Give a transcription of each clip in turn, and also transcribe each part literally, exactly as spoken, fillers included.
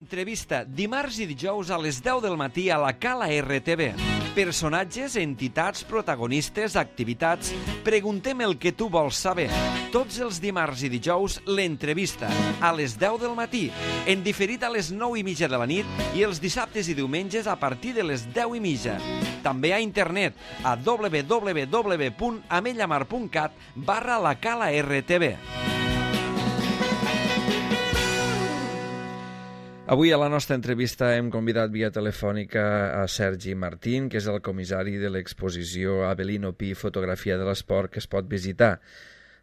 L'entrevista, dimarts i dijous a les deu del matí a la Cala R T V. Personatges, entitats, protagonistes, activitats... Preguntem el que tu vols saber. Tots els dimarts i dijous, l'entrevista, a les deu del matí, en diferit a les nou i mitja de la nit i els dissabtes i diumenges a partir de les deu i mitja. També a internet, a w w w punt amellamar punt cat barra la Cala R T V. Avui a la nostra entrevista hem convidat via telefònica a Sergi Martín, que és el comissari de l'exposició Avelino Pi, fotografia de l'esport, que es pot visitar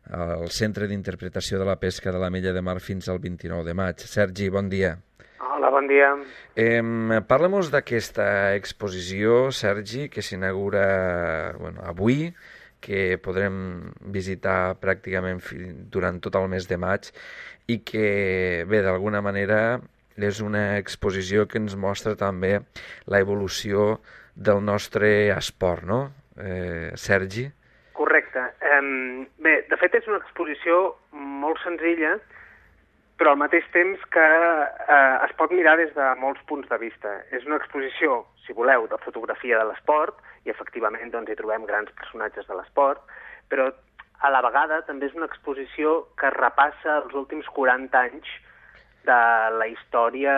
al Centre d'Interpretació de la Pesca de l'Ametlla de Mar fins al vint-i-nou de maig. Sergi, bon dia. Hola, bon dia. Eh, Parla-mos d'aquesta exposició, Sergi, que s'inaugura bueno, avui, que podrem visitar pràcticament durant tot el mes de maig i que, bé, d'alguna manera és una exposició que ens mostra també la evolució del nostre esport, no, eh, Sergi? Correcte. Um, bé, de fet és una exposició molt senzilla, però al mateix temps que eh, es pot mirar des de molts punts de vista. És una exposició, si voleu, de fotografia de l'esport, i efectivament doncs, hi trobem grans personatges de l'esport, però a la vegada també és una exposició que repassa els últims quaranta anys de la història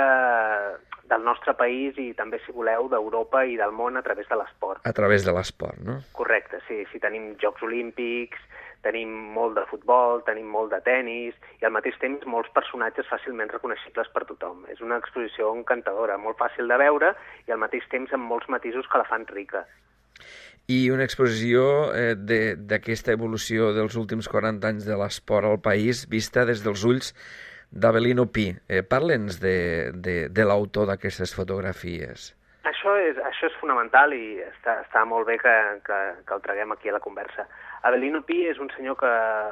del nostre país i també, si voleu, d'Europa i del món a través de l'esport. A través de l'esport, no? Correcte, sí. Sí, tenim Jocs Olímpics, tenim molt de futbol, tenim molt de tennis i al mateix temps molts personatges fàcilment reconeixibles per tothom. És una exposició encantadora, molt fàcil de veure i al mateix temps amb molts matisos que la fan rica. I una exposició eh, d'aquesta evolució dels últims quaranta anys de l'esport al país vista des dels ulls d'Avelino Pi. Eh, Parla'ns de, de, de l'autor d'aquestes fotografies. Això és, això és fonamental i està, està molt bé que, que, que el traguem aquí a la conversa. Avelino Pi és un senyor que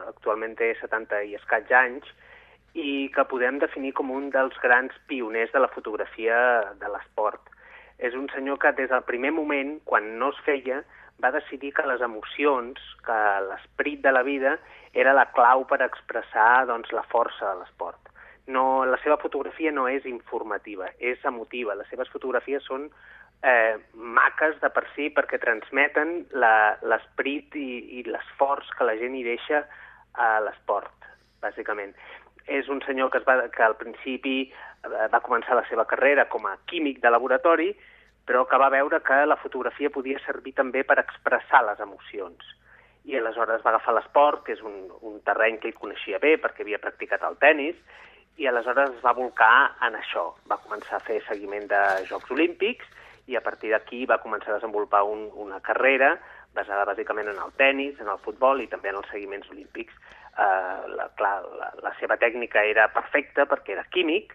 actualment té setanta i escaig anys i que podem definir com un dels grans pioners de la fotografia de l'esport. És un senyor que des del primer moment, quan no es feia, va decidir que les emocions, que l'esperit de la vida era la clau per expressar doncs, la força de l'esport. No, la seva fotografia no és informativa, és emotiva. Les seves fotografies són eh, maques de per si perquè transmeten l'esperit i, i l'esforç que la gent hi deixa a l'esport, bàsicament. És un senyor que, es va, que al principi va començar la seva carrera com a químic de laboratori, però que va veure que la fotografia podia servir també per expressar les emocions. I aleshores va agafar l'esport, que és un, un terreny que ell coneixia bé perquè havia practicat el tennis, i aleshores es va volcar en això. Va començar a fer seguiment de Jocs Olímpics i a partir d'aquí va començar a desenvolupar un, una carrera basada bàsicament en el tennis, en el futbol i també en els seguiments olímpics. Uh, la, clar, la, la seva tècnica era perfecta perquè era químic,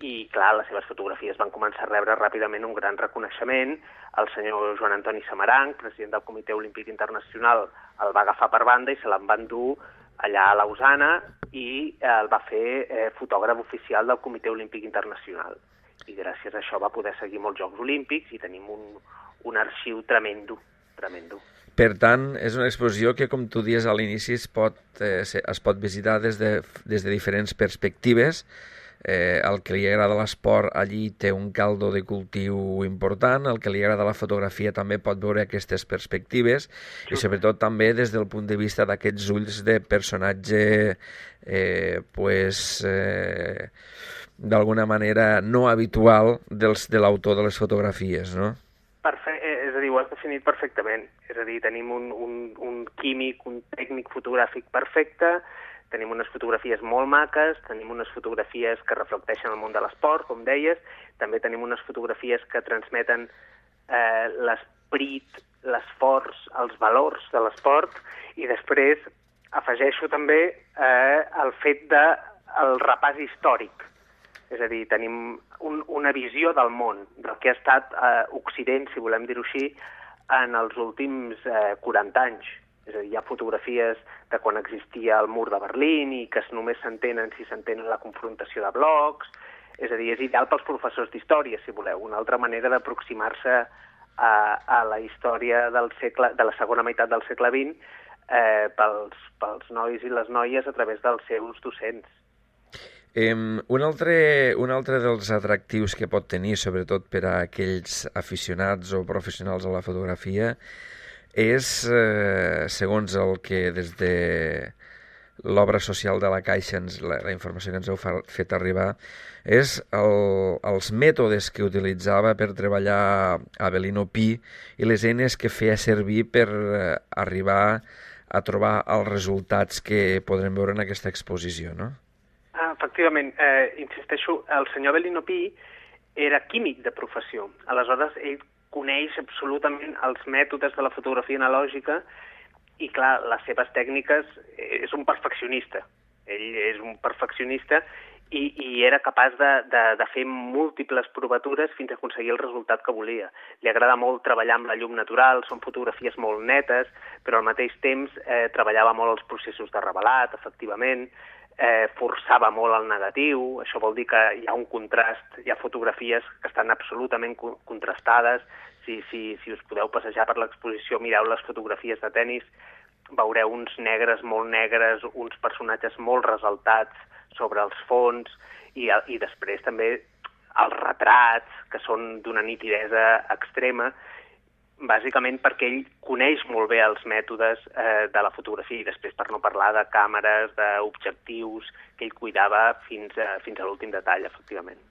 i, clar, les seves fotografies van començar a rebre ràpidament un gran reconeixement. El senyor Joan Antoni Samaranch, president del Comitè Olímpic Internacional, el va agafar per banda i se l'en va endur allà a Lausana i el va fer eh, fotògraf oficial del Comitè Olímpic Internacional. I gràcies a això va poder seguir molts Jocs Olímpics i tenim un, un arxiu tremendo, tremendo. Per tant, és una exposició que, com tu dius a l'inici, es, pot, eh, es pot visitar des de, des de diferents perspectives. Eh, el que li agrada l'esport allí té un caldo de cultiu important, el que li agrada la fotografia també pot veure aquestes perspectives i sobretot també des del punt de vista d'aquests ulls de personatge eh, pues, eh, d'alguna manera no habitual dels, de l'autor de les fotografies, no? Perfe és a dir, ho has definit perfectament. És a dir, tenim un, un, un químic, un tècnic fotogràfic perfecte, tenim unes fotografies molt maques, tenim unes fotografies que reflecteixen el món de l'esport, com deies, també tenim unes fotografies que transmeten eh, l'esperit, l'esforç, els valors de l'esport, i després afegeixo també eh, el fet del repàs històric. És a dir, tenim un, una visió del món, del que ha estat eh, Occident, si volem dir-ho així, en els últims eh, quaranta anys. És a dir, hi ha fotografies de quan existia el mur de Berlín i que només s'entenen si s'entenen la confrontació de blocs. És a dir, és ideal pels professors d'història, si voleu, una altra manera d'aproximar-se a, a la història del segle, de la segona meitat del segle vint eh, pels, pels nois i les noies a través dels seus docents. Eh, un, altre, un altre dels atractius que pot tenir, sobretot per a aquells aficionats o professionals a la fotografia, és, eh, segons el que des de l'obra social de la Caixa, ens, la, la informació que ens heu fa, fet arribar, és el, els mètodes que utilitzava per treballar Avelino Pi i les eines que feia servir per eh, arribar a trobar els resultats que podrem veure en aquesta exposició, no? Ah, efectivament, eh, insisteixo, el senyor Avelino Pi era químic de professió. Aleshores, ell coneix absolutament els mètodes de la fotografia analògica i, clar, les seves tècniques, és un perfeccionista. Ell és un perfeccionista i, i era capaç de, de, de fer múltiples provatures fins a aconseguir el resultat que volia. Li agrada molt treballar amb la llum natural, són fotografies molt netes, però al mateix temps eh, treballava molt els processos de revelat, efectivament, eh, forçava molt el negatiu, això vol dir que hi ha un contrast, hi ha fotografies que estan absolutament co contrastades. Si, si, si us podeu passejar per l'exposició, mireu les fotografies de tennis, veureu uns negres molt negres, uns personatges molt ressaltats sobre els fons, i, i després també els retrats, que són d'una nitidesa extrema, bàsicament perquè ell coneix molt bé els mètodes eh, de la fotografia, i després per no parlar de càmeres, d'objectius, que ell cuidava fins a, fins a l'últim detall, efectivament.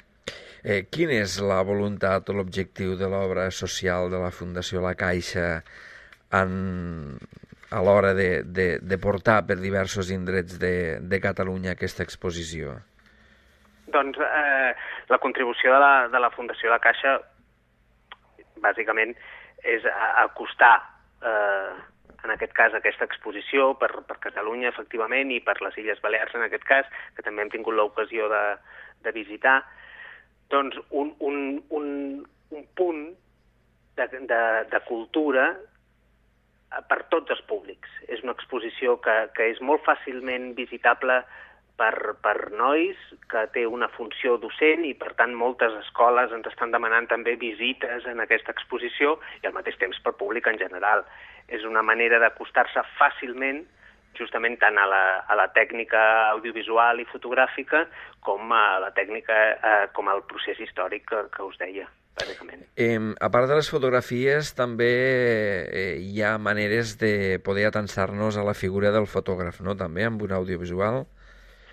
Eh, quina és la voluntat o l'objectiu de l'obra social de la Fundació La Caixa en, a l'hora de, de, de portar per diversos indrets de, de Catalunya aquesta exposició? Doncs eh, la contribució de la, de la Fundació La Caixa bàsicament és acostar, eh, en aquest cas, aquesta exposició per, per Catalunya, efectivament, i per les Illes Balears, en aquest cas, que també hem tingut l'ocasió de, de visitar, doncs un, un, un, un punt de, de, de cultura per tots els públics. És una exposició que, que és molt fàcilment visitable per, per nois, que té una funció docent, i per tant moltes escoles ens estan demanant també visites en aquesta exposició, i al mateix temps per públic en general. És una manera d'acostar-se fàcilment justament tant a la, a la tècnica audiovisual i fotogràfica com a la tècnica, eh, com al procés històric que, que us deia, bàsicament. Eh, a part de les fotografies, també eh, hi ha maneres de poder atansar-nos a la figura del fotògraf, no?, també, amb un audiovisual.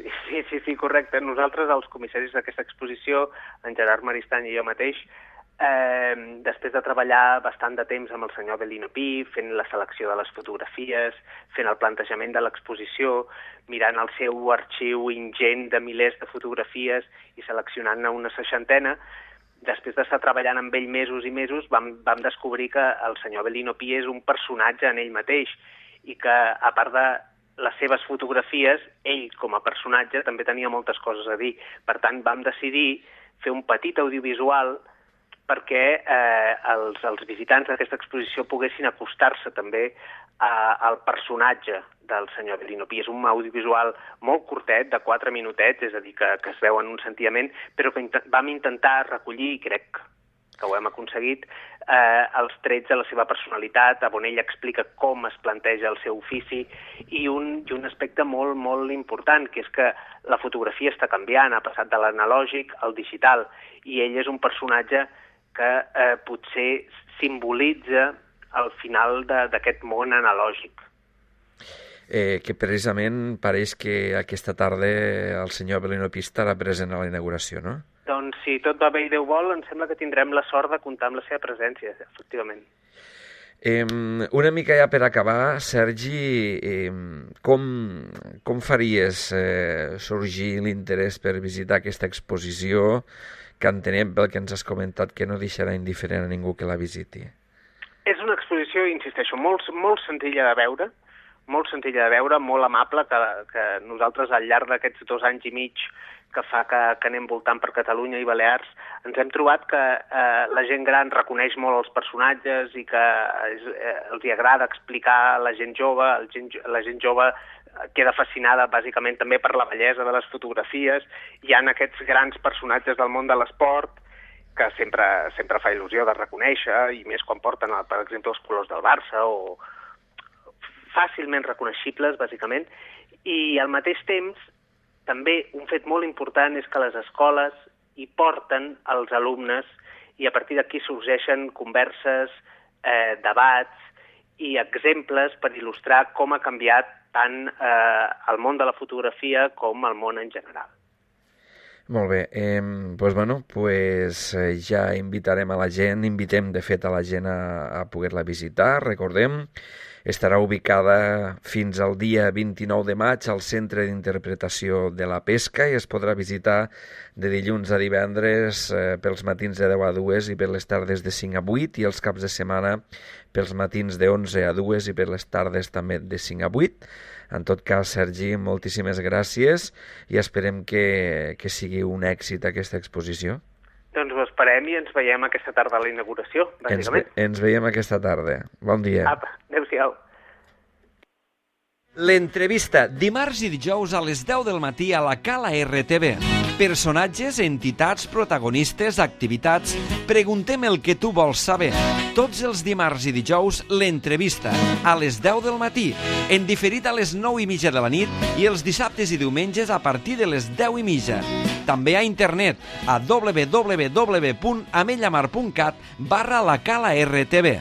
Sí, sí, sí, sí, correcte. Nosaltres, els comissaris d'aquesta exposició, en Gerard Maristany i jo mateix, Eh, després de treballar bastant de temps amb el senyor Avelino Pi, fent la selecció de les fotografies, fent el plantejament de l'exposició, mirant el seu arxiu ingent de milers de fotografies i seleccionant-ne una seixantena, després d'estar treballant amb ell mesos i mesos, vam, vam descobrir que el senyor Avelino Pi és un personatge en ell mateix, i que, a part de les seves fotografies, ell, com a personatge, també tenia moltes coses a dir. Per tant, vam decidir fer un petit audiovisual perquè eh, els, els visitants d'aquesta exposició poguessin acostar-se també a, al personatge del senyor Avelino Pi. És un audiovisual molt curtet, de quatre minutets, és a dir, que, que es veu en un sentiment, però que int vam intentar recollir, i crec que ho hem aconseguit, eh, els trets de la seva personalitat, on ell explica com es planteja el seu ofici, i un, i un aspecte molt, molt important, que és que la fotografia està canviant, ha passat de l'analògic al digital, i ell és un personatge que eh, potser simbolitza el final d'aquest món analògic. Eh, que precisament pareix que aquesta tarda el senyor Avelino Pi estarà present a la inauguració, no? Doncs si tot va bé i Déu vol, em sembla que tindrem la sort de comptar amb la seva presència, efectivament. Eh, una mica ja per acabar, Sergi, eh, com, com faries eh, sorgir l'interès per visitar aquesta exposició, que entenem pel que ens has comentat que no deixarà indiferent a ningú que la visiti? És una exposició, insisteixo, molt, molt senzilla de veure, molt senzilla de veure, molt amable, que, que nosaltres al llarg d'aquests dos anys i mig que fa que, que anem voltant per Catalunya i Balears, ens hem trobat que eh, la gent gran reconeix molt els personatges i que és, eh, els hi agrada explicar a la gent jove, el gent, la gent jove queda fascinada bàsicament també per la bellesa de les fotografies. Hi ha aquests grans personatges del món de l'esport que sempre, sempre fa il·lusió de reconèixer, i més quan porten, per exemple, els colors del Barça, o fàcilment reconeixibles, bàsicament, i al mateix temps també un fet molt important és que les escoles hi porten els alumnes i a partir d'aquí sorgeixen converses, eh, debats i exemples per il·lustrar com ha canviat tant eh, el món de la fotografia com el món en general. Molt bé, eh, doncs, bueno, pues, eh, ja invitarem a la gent, invitem de fet a la gent a, a poder-la visitar, recordem, estarà ubicada fins al dia vint-i-nou de maig al Centre d'Interpretació de la Pesca i es podrà visitar de dilluns a divendres eh, pels matins de deu a dues i per les tardes de cinc a vuit i els caps de setmana pels matins de onze a dues i per les tardes també de cinc a vuit. En tot cas, Sergi, moltíssimes gràcies i esperem que, que sigui un èxit aquesta exposició. Doncs ho esperem i ens veiem aquesta tarda a la inauguració, bàsicament. Ens, ve, ens veiem aquesta tarda. Bon dia. Apa, adéu-siau. L'entrevista, dimarts i dijous a les deu del matí a la Cala R T V. Personatges, entitats, protagonistes, activitats... Preguntem el que tu vols saber. Tots els dimarts i dijous, l'entrevista, a les deu del matí, en diferit a les nou i mitja de la nit i els dissabtes i diumenges a partir de les deu i mitja. També a internet a w w w punt amellamar punt cat barra la Cala R T V.